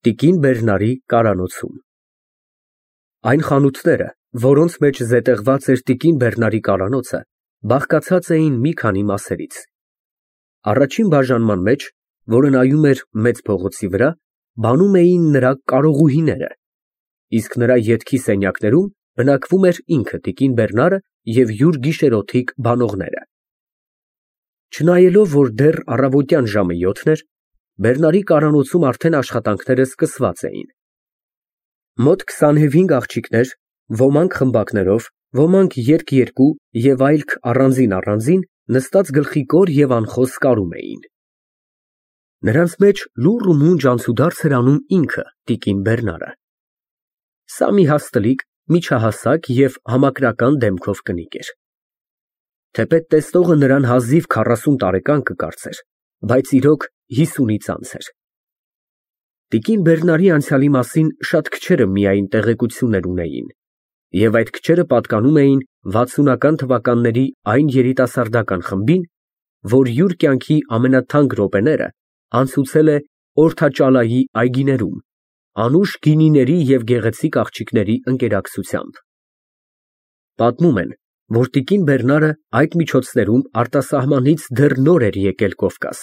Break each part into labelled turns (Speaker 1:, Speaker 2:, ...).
Speaker 1: Տիկին Բերնարի կարանոցում։ Այն խանութները, որոնց մեջ զետեղված էր տիկին Բերնարի կարանոցը, բաղկացած էին մի քանի մասերից։ Առաջին բաժանման մեջ, որը նայում էր մեծ փողոցի վրա, բանում էին նրա կարողուհիները, իսկ նրա ետքի սենյակներում բնակվում էր ինքը տիկին Բերնարը և յուր գիշերօթիկ բանողները։ Չնայելով, որ դեռ առավոտյան ժամը 7 էր, Բերնարի կարանոցում արդեն աշխատանքները սկսված էին։ Մոտ 25 աղջիկներ, ոմանք խմբակներով, ոմանք երկ-երկու և այլք առանձին, նստած գլխիկոր և անխոս կարում էին։ Նրանց մեջ լուռ ու մունջ անցուդարձ էր անում ինքը տիկին Բերնարը։ Սա մի հաստլիկ, միջահասակ և համակրական դեմքով կնիկ էր։ Թեպետ տեսնողը նրան հազիվ 40 տարեկան կկարծեր, բայց իրոք 50-ից անց էր։ Տիկին Բերնարի անցյալի մասին շատ քչերը միայն տեղեկություններ ունեին, և այդ քչերը պատկանում էին 60-ական թվականների այն երիտասարդական խմբին, որ յուր կյանքի ամենաթանկ րոպեները անցուցել է Օրթաճալայի այգիներում, անուշ գինիների և գեղեցիկ աղջիկների ընկերակցությամբ։ Պատմում են, որ տիկին Բերնարը այդ միջոցներում արտասահմանից դեռ նոր էր եկել Կովկաս։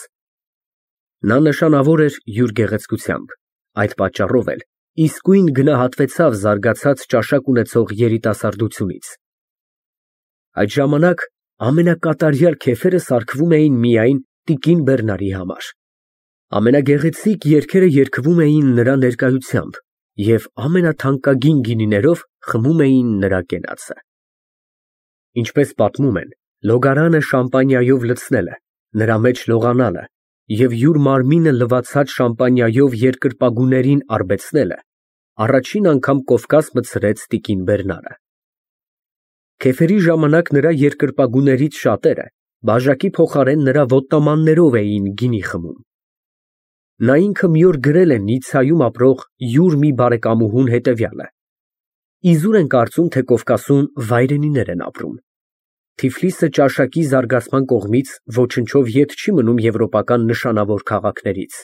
Speaker 1: Նա նշանավոր էր յուր գեղեցկությամբ, այդ պատճառով էլ իսկույն գնահատվեցավ զարգացած ճաշակ ունեցող երիտասարդությունից։ Այդ ժամանակ ամենակատարյալ քեֆերը սարքվում էին միայն տիկին Բերնարի համար։ Ամենագեղեցիկ երգերը երգվում էին նրա ներկայությամբ և ամենաթանկագին գինիներով խմում էին նրա կենացը։ Ինչպես պատմում են, լոգարանը շամպանիայով լցնելը, նրա մեջ լողանալը և յուր մարմինը լվացած շամպանիայով երկրպագուներին արբեցնելը առաջին անգամ Կովկաս մտցրեց տիկին Բերնարը։ Քեֆերի ժամանակ նրա երկրպագուներից շատերը բաժակի փոխարեն նրա ոտնամաններով էին գինի խմում։ Նա ինքը մի օր գրել է Նիցայում ապրող յուր մի բարեկամուհուն հետևյալը. «Իզուր են կարծում, թե Կովկասում վայրենիներ են ապրում։ Թիֆլիսը ճաշակի զարգացման կողմից ոչնչով ետ չի մնում եվրոպական նշանավոր քաղաքներից։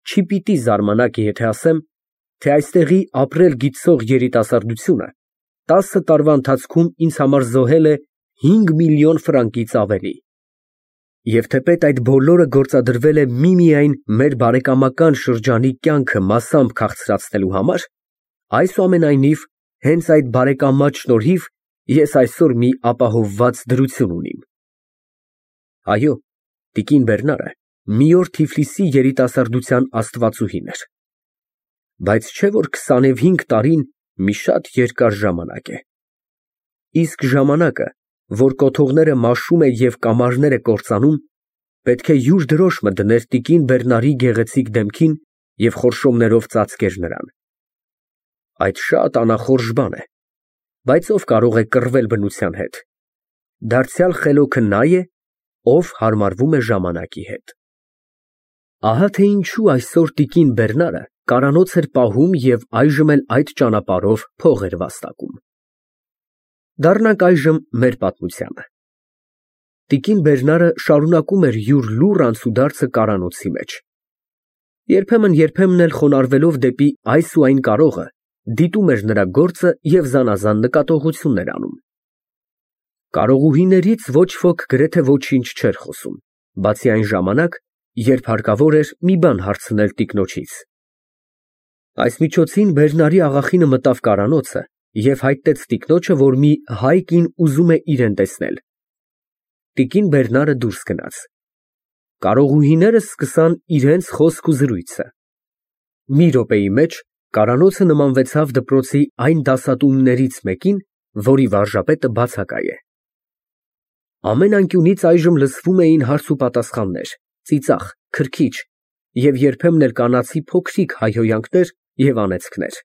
Speaker 1: Չի պիտի զարմանաք, եթե ասեմ, թե այստեղի ապրել գիտցող երիտասարդությունը 10 տարվա ընթացքում ինձ համար զոհել է 5 միլիոն ֆրանկից ավելի։ Եվ թեպետ այդ բոլորը գործադրվել է միմիայն մեր բարեկամական շրջանի կյանքը մասամբ քաղցրացնելու համար, այսուամենայնիվ, հենց այդ բարեկամած շնորհիվ ես այսօր մի ապահովված դրություն ունիմ»։ Այո, տիկին Բերնարը մի օր Թիֆլիսի երիտասարդության աստվածուհին էր։ Բայց չէ՞ որ 25 տարին մի շատ երկար ժամանակ է։ Իսկ ժամանակը, որ կոթողները մաշում է և կամարները կործանում, պետք է յուր դրոշմը դներ տիկին Բերնարի գեղեցիկ դեմքին և խորշոմներով ծածկեր նրան։ Այդ շատ անախորժ բան է, բայց ով կարող է կռվել բնության հետ։ Դարձյալ խելոքը նա է, ով հարմարվում է ժամանակի հետ։ Ահա թե ինչու այսօր տիկին Բերնարը կարանոց էր պահում և այժմ էլ այդ ճանապարհով փող էր վաստակում։ Դառնանք այժմ մեր պատմությանը։ Տիկին Բերնարը շարունակում էր յուր լուռ անցուդարձը կարանոցի մեջ։ Երբեմն էլ խոնարհվելով դեպի այս ու այն կարողը, դիտում էր նրա գործը և զանազան նկատողություններ անում։ Կարողուհիներից ոչ ոք գրեթե ոչինչ չէր խոսում, բացի այն ժամանակ, երբ հարկավոր էր մի բան հարցնել տիկնոջից։ Այս միջոցին Բերնարի աղախինը մտավ կարանոցը և հայտնեց տիկնոջը, որ մի հայ կին ուզում է իրան տեսնել։ Տիկին Բերնարը դուրս գնաց։ Կարողուհիները սկսան իրենց խոսք ու զրույցը։ Մի րոպեի մեջ կարանոցը նմանվեցավ դպրոցի այն դասատուներից մեկին, որի վարժապետը բացակայ է։ Ամեն անկյունից այժմ լսվում էին հարցուպատասխաններ, ծիծաղ, քրքիջ և երբեմն էլ կանացի փոքրիկ հայհոյանքներ և անեծքներ։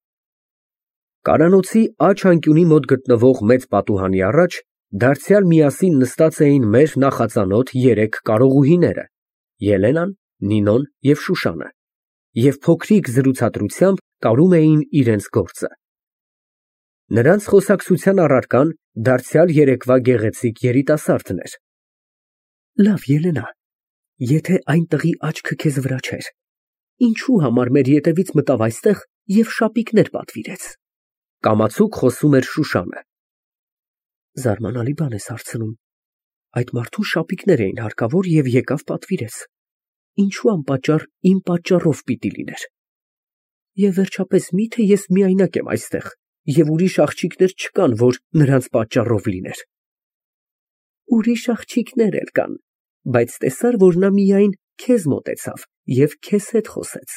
Speaker 1: Կարանոցի աջ անկյունի մոտ գտնվող մեծ պատուհանի առաջ դարձյալ միասին նստած էին մեր նախածանոթ երեք կարողուհիները՝ Ելենան, Նինոն և Շուշանը, և փոքրիկ զրուցակցությամբ կարում էին իրենց գործը։ Նրանց խոսակցության առարկան դարձյալ երեկվա գեղեցիկ երիտասարդն էր։ Լավ, Ելենա, եթե այն տղի աչքը քեզ վրա չէր, ինչու համար մեր ետևից մտավ այստեղ և շապիկներ պատվիրեց։ Կամացուկ խոսում էր Շուշանը։ Զարմանալի բան ես հարցնում։ Այդ մարդուն շապիկներ էին հարկավոր և եկավ պատվիրեց։ Ինչու անպատճառ իմ պատճառով պիտի լիներ։ Եվ վերջապես միթե ես միայնակ եմ այստեղ, և ուրիշ աղջիկներ չկան, որ նրանց պատճառով լիներ։ Ուրիշ աղջիկներ էլ կան, բայց տեսար, որ նա միայն քեզ մոտեցավ և քեզ հետ խոսեց։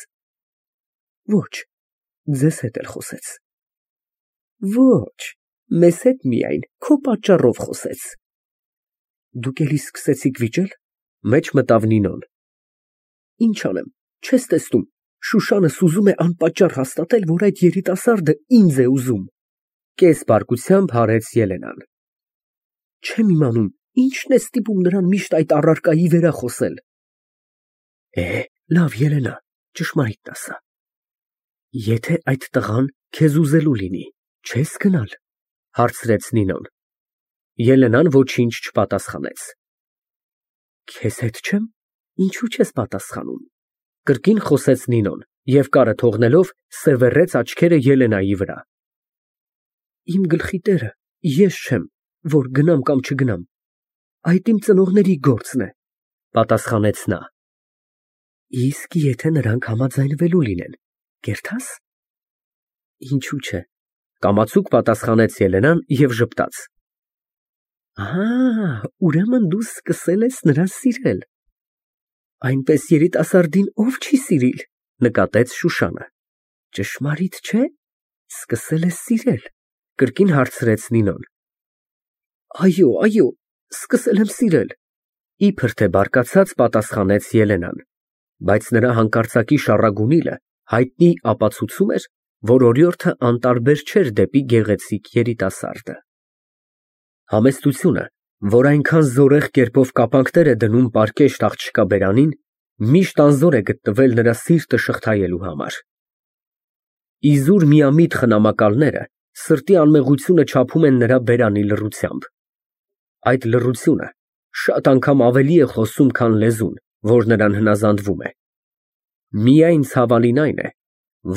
Speaker 1: Ոչ, ձեզ հետ էլ խոսեց։ Ոչ, մեզ հետ միայն քո պատճառով խոսեց։ Դուք էլի սկսեցիք վիճել, մեջ մտավ Նինոն։ Ինչ անեմ, չես տեսնում, Շուշանս ուզում է անպատճառ հաստատել, որ այդ երիտասարդը ինձ է ուզում։ Կես բարկությամբ հարեց Ելենան։ Չեմ իմանում, ինչն է ստիպում նրան միշտ այդ առարկայի վերախոսել։ Լավ, Ելենա, ճշմարիտն ասա։ Եթե այդ տղան քեզ ուզելու լինի, չես գնալ, հարցրեց Նինոն։ Ելենան ոչինչ չպատասխանեց։ Քեզ հետ չեմ, ինչու չես պատասխանում։ Կրկին խոսեց Նինոն և կարը թողնելով սևեռեց աչքերը Ելենայի վրա։ Իմ գլխի տերը ես չեմ, որ գնամ կամ չգնամ։ Այդ իմ ծնողների գործն է, պատասխանեց նա։ Իսկ եթե նրանք համաձայնվելու լինեն, կերթա՞ս։ Ինչու՞ չէ, կամացուկ պատասխանեց Ելենան և ժպտաց։ Ուրեմն դու սկսել ես նրան սիրել։ Այնպես երիտասարդին ով չի սիրիլ, նկատեց Շուշանը։ Ճշմարիտ չէ, սկսել ես սիրել, կրկին հարցրեց Նինոն։ Այո, սկսել եմ սիրել, իբր թե բարկացած պատասխանեց Ելենան, բայց նրա հանկարծակի շառագունիլը հայտնի ապացուցում էր, որ օրիորդը անտարբեր չէր դեպի գեղեցիկ երիտասարդը։ Համեստությունը, որ այնքան զորեղ կերպով կապանքներ է դնում պարկեշտ աղջկա բերանին, միշտ անզոր է գտնվել նրա սիրտը շղթայելու համար։ Իզուր միամիտ խնամակալները սրտի անմեղությունը չափում են նրա բերանի լռությամբ։ Այդ լռությունը շատ անգամ ավելի է խոսում, քան լեզուն, որ նրան հնազանդվում է։ Միայն ցավալին այն է,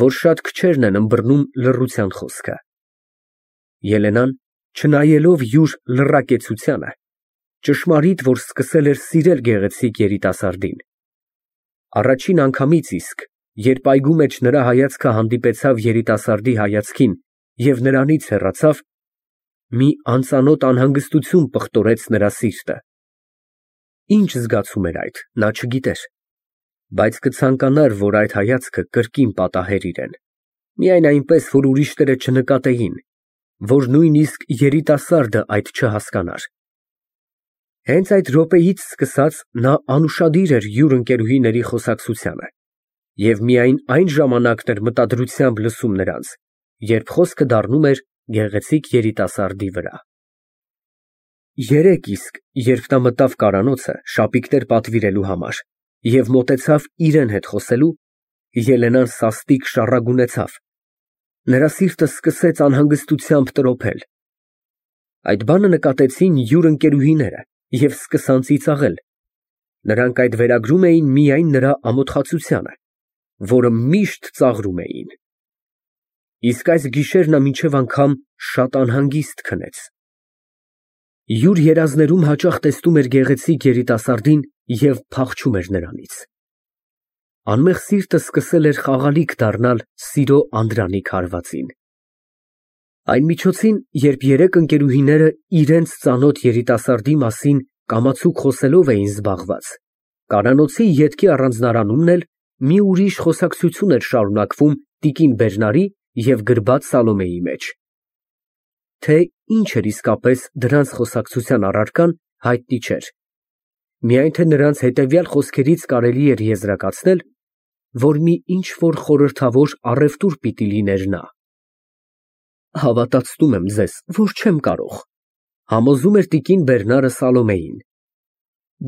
Speaker 1: որ շատ քչերն են ըմբռնում լռության խոսքը։ Ելենան, չնայելով յուր լռակեցությանը, ճշմարիտ, որ սկսել էր սիրել գեղեցիկ երիտասարդին։ Առաջին անգամից իսկ, երբ այգու մեջ նրա հայացքը հանդիպեցավ երիտասարդի հայացքին և նրանից հեռացավ, մի անծանոթ անհանգստություն պղտորեց նրա սիրտը։ Ինչ զգացում էր այդ, նա չգիտեր, բայց կցանկանար, որ այդ հայացքը կրկին պատահեր իրեն, միայն այնպես, որ ուրիշները չնկատեին, որ նույնիսկ երիտասարդը այդ չհասկանար։ Հենց այդ րոպեից սկսած նա անուշադիր էր յուր ընկերուհիների խոսակցությանը և միայն այն ժամանակն էր մտադրությամբ լսում նրանց, երբ խոսքը դառնում էր գեղեցիկ երիտասարդի վրա։ Երեկ իսկ, երբ նա մտավ կարանոցը շապիկներ պատվիրելու համար և մոտեցավ իրեն հետ խոսելու, Ելենան սաստիկ շառագունեցավ։ Նրա սիրտը սկսեց անհանգստությամբ տրոփել։ Այդ բանը նկատեցին յուր ընկերուհիները և սկսան ծիծաղել։ Նրանք այդ վերագրում էին միայն նրա ամոթխացությանը, որը միշտ ծաղրում էին։ Իսկ այս գիշեր նա մինչև անգամ շատ անհանգիստ քնեց։ Յուր երազներում հաճախ տեսնում էր գեղեցիկ երիտասարդին և փախչում էր նրանից։ Անմեղ սիրտը սկսել էր խաղալիք դառնալ սիրո անդրանիկ հարվածին։ Այն միջոցին, երբ երեք ընկերուհիները իրենց ծանոթ երիտասարդի մասին կամացուկ խոսելով էին զբաղված, կարանոցի ետքի առանձնարանումն էլ մի ուրիշ խոսակցություն էր շարունակվում տիկին Բերնարի և գրբաց Սալոմեի մեջ։ Թե ինչ էր իսկապես դրանց խոսակցության առարկան, հայտնի չէր, միայն թե նրանց հետևյալ խոսքերից կարելի էր եզրակացնել, որ մի ինչ-որ խորհրդավոր առևտուր պիտի լիներ նա։ Հավատացնում եմ ձեզ, որ չեմ կարող, համոզում էր տիկին Բերնարը Սալոմեին։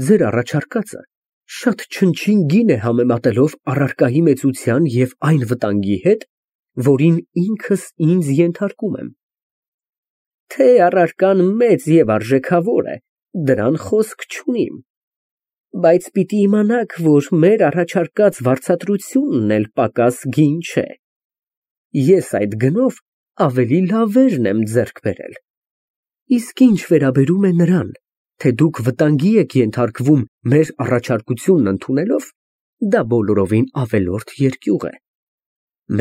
Speaker 1: Ձեր առաջարկածը շատ չնչին գին է համեմատելով առարկայի մեծության և այն վտանգի հետ, որին ինքս ինձ ենթարկում եմ։ Թե առարկան մեծ և արժեքավոր է, դրան խոսք չունիմ։ Բայց պիտի իմանաք, որ մեր առաջարկած վարձատրությունն էլ պակաս գին չէ։ Ես այդ գնով ավելի լավերն եմ ձեռք բերել։ Իսկ ինչ վերաբերում է նրան, թե դուք վտանգի եք ենթարկվում մեր առաջարկությունն ընդունելով, դա բոլորովին ավելորդ երկյուղ է։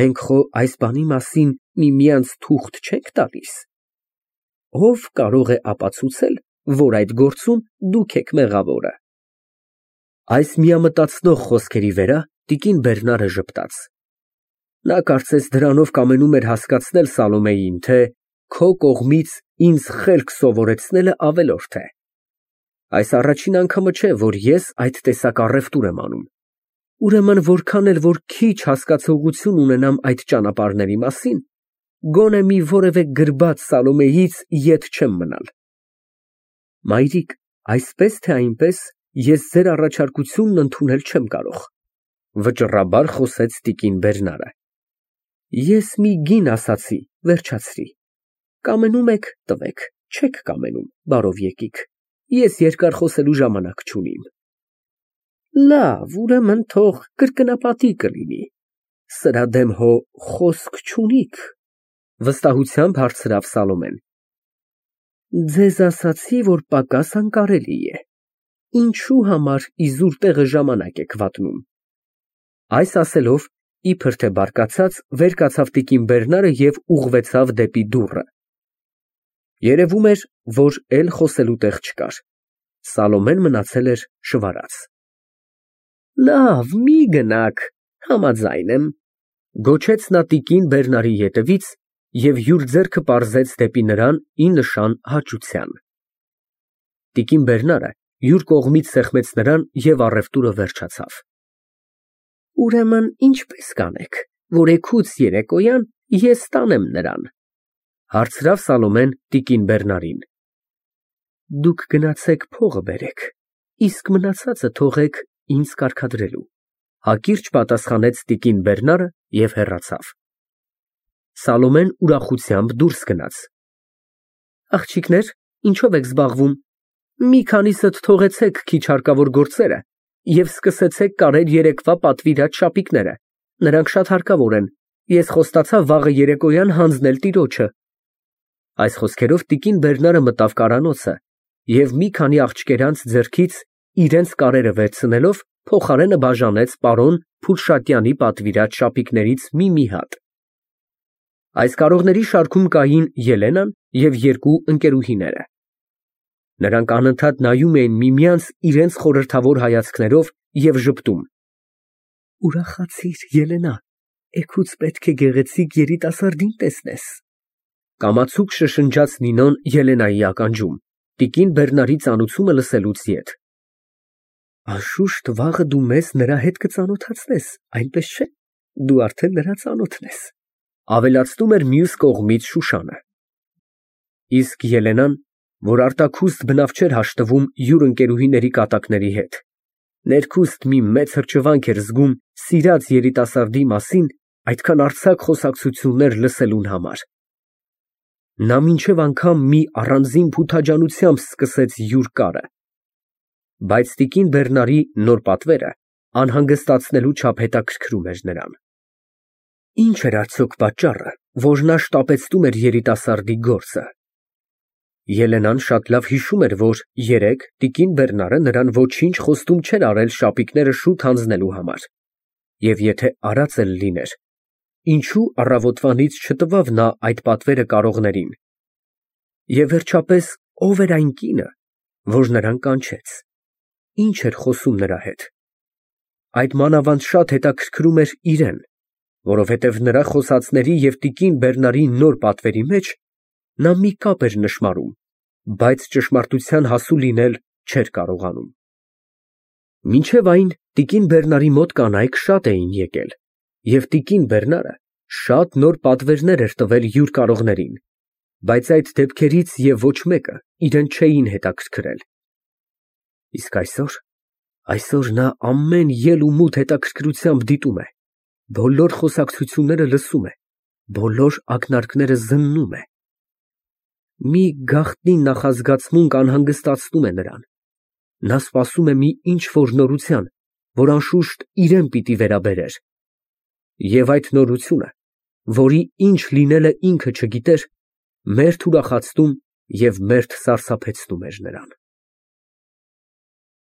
Speaker 1: Մենք խո այս բանի մասին միմյանց թուղթ չենք տալիս։ Ով կարող է ապացուցել, որ այդ գործում դուք եք մեղավորը։ Այս միամտածնող խոսքերի վրա տիկին Բերնարը ժպտաց։ Նա կարծես դրանով կամենում էր հասկացնել Սալոմեյին, թե քո կողմից ինձ խելք սովորեցնելը ավելորդ է։ Այս առաջին անգամը չէ, որ ես այդ տեսակ առևտուր եմ անում։ Ուրեմն որքան էլ որ քիչ հասկացողություն ունենամ այդ ճանապարհների մասին, գոնե մի որևէ գրբաց Սալոմեյից ետ չեմ մնալ։ Մայրիկ, այսպես թե այնպես ես ձեր առաջարկությունն ընդունել չեմ կարող, վճռաբար խոսեց տիկին Բերնարը։ Ես մի գին ասացի, վերջացրի։ Կամենում եք, տվեք, չեք կամենում, բարով եկիք։ Ես երկար խոսելու ժամանակ չունիմ։ Լավ, ուրեմն թող կրկնապատի կլինի։ Սրա դեմ հո խոսք չունիք, վստահությամբ հարցրավ Սալոմեն։ Ձեզ ասացի, որ պակաս անկարելի է։ Ինչու համար իզուր տեղը ժամանակ եք վատնում։ Այս ասելով, իբր թե բարկացած, վեր կացավ տիկին Բերնարը և ուղղվեցավ դեպի դուռը։ Երևում էր, որ էլ խոսելու տեղ չկար։ Սալոմեն մնացել էր շվարած։ Լավ, մի գնաք, համաձայն եմ, գոչեց նա տիկին Բերնարի ետևից և յուր ձեռքը պարզեց դեպի նրան ի նշան հաճության։ Տիկին Բերնարը յուր կողմից սեղմեց նրան և առևտուրը վերջացավ։ Ուրեմն ինչպես կանեք, որ էգուց երեկոյան ես տանեմ նրան, հարցրավ Սալոմեն տիկին Բերնարին։ Դուք գնացեք փողը բերեք, իսկ մնացածը թողեք ինձ կարգադրելու, հակիրճ պատասխանեց տիկին Բերնարը և հեռացավ։ Սալոմեն ուրախությամբ դուրս գնաց։ Աղջիկներ, ինչով եք զբաղվում։ Մի քանիսդ թողեցեք քիչ հարկավոր գործերը և սկսեցեք կարել երեկվա պատվիրած շապիկները, նրանք շատ հարկավոր են, ես խոստացա վաղը երեկոյան հանձնել տիրոջը։ Այս խոսքերով տիկին Բերնարը մտավ կարանոցը և մի քանի աղջկերանց ձեռքից իրենց կարերը վերցնելով փոխարենը բաժանեց պարոն Փուլշատյանի պատվիրած շապիկներից մի հատ։ Այս կարողների շարքում կային Ելենան և երկու ընկերուհիները։ Նրանք անընդհատ նայում էին միմյանց իրենց խորհրդավոր հայացքներով և ժպտում։ Ուրախացիր, Ելենա, էգուց պետք է գեղեցիկ երիտասարդին տեսնես։ Կամացուկ շշնջաց Նինոն Ելենայի ականջում, տիկին Բերնարի ծանուցումը լսելուց ետ։ Անշուշտ վաղը դու մեզ նրա հետ կծանոթացնես, այնպես չէ, դու արդեն նրա ծանոթն ես, ավելացնում էր մյուս կողմից Շուշանը։ Իսկ Ելենան, որ արտաքուստ բնավ չէր հաշտվում յուր ընկերուհիների կատակների հետ, ներքուստ մի մեծ հրճվանք էր զգում սիրած երիտասարդի մասին այդքան արձակ խոսակցություններ լսելուն համար։ Նա մինչև անգամ մի առանձին փութաջանությամբ սկսեց յուր կարը։ Բայց տիկին Բերնարի նոր պատվերը անհանգստացնելու չափ հետաքրքրում էր նրան։ Ինչ էր արդյոք պատճառը, որ նա շտապեցնում էր երիտասարդի գործը։ Ելենան շատ լավ հիշում էր, որ երեկ տիկին Բերնարը նրան ոչինչ խոստում չէր արել շապիկները շուտ հանձնելու համար, և եթե արած էլ լիներ, ինչու առավոտվանից չտվավ նա այդ պատվերը կարողներին։ Եվ վերջապես, ով էր այն կինը, որ նրան կանչեց, ինչ էր խոսում նրա հետ։ Այդ մանավանդ շատ հետաքրքրում էր իրեն, որովհետև նրա խոսածների և տիկին Բերնարի նոր պատվերի մեջ նա մի կապ էր նշմարում, բայց ճշմարտության հասու լինել չէր կարողանում։ Մինչև այն տիկին Բերնարի մոտ կանայք շատ էին եկել, և տիկին Բերնարը շատ նոր պատվերներ էր տվել յուր կարողներին, բայց այդ դեպքերից և ոչ մեկը իրեն չէին հետաքրքրել։ Իսկ այսօր նա ամեն ելք ու մութ հետաքրքրությամբ դիտում է, բոլոր խոսակցությունները լսում է, բոլոր ակնարկները զննում է։ Մի գաղտնի նախազգացմունք անհանգստացնում է նրան, Նա սպասում է մի ինչ֊որ նորության, որ անշուշտ իրան պիտի վերաբերեր, և այդ նորությունը, որի ինչ լինելը ինքը չգիտեր, մերթ ուրախացնում և մերթ սարսափեցնում էր նրան։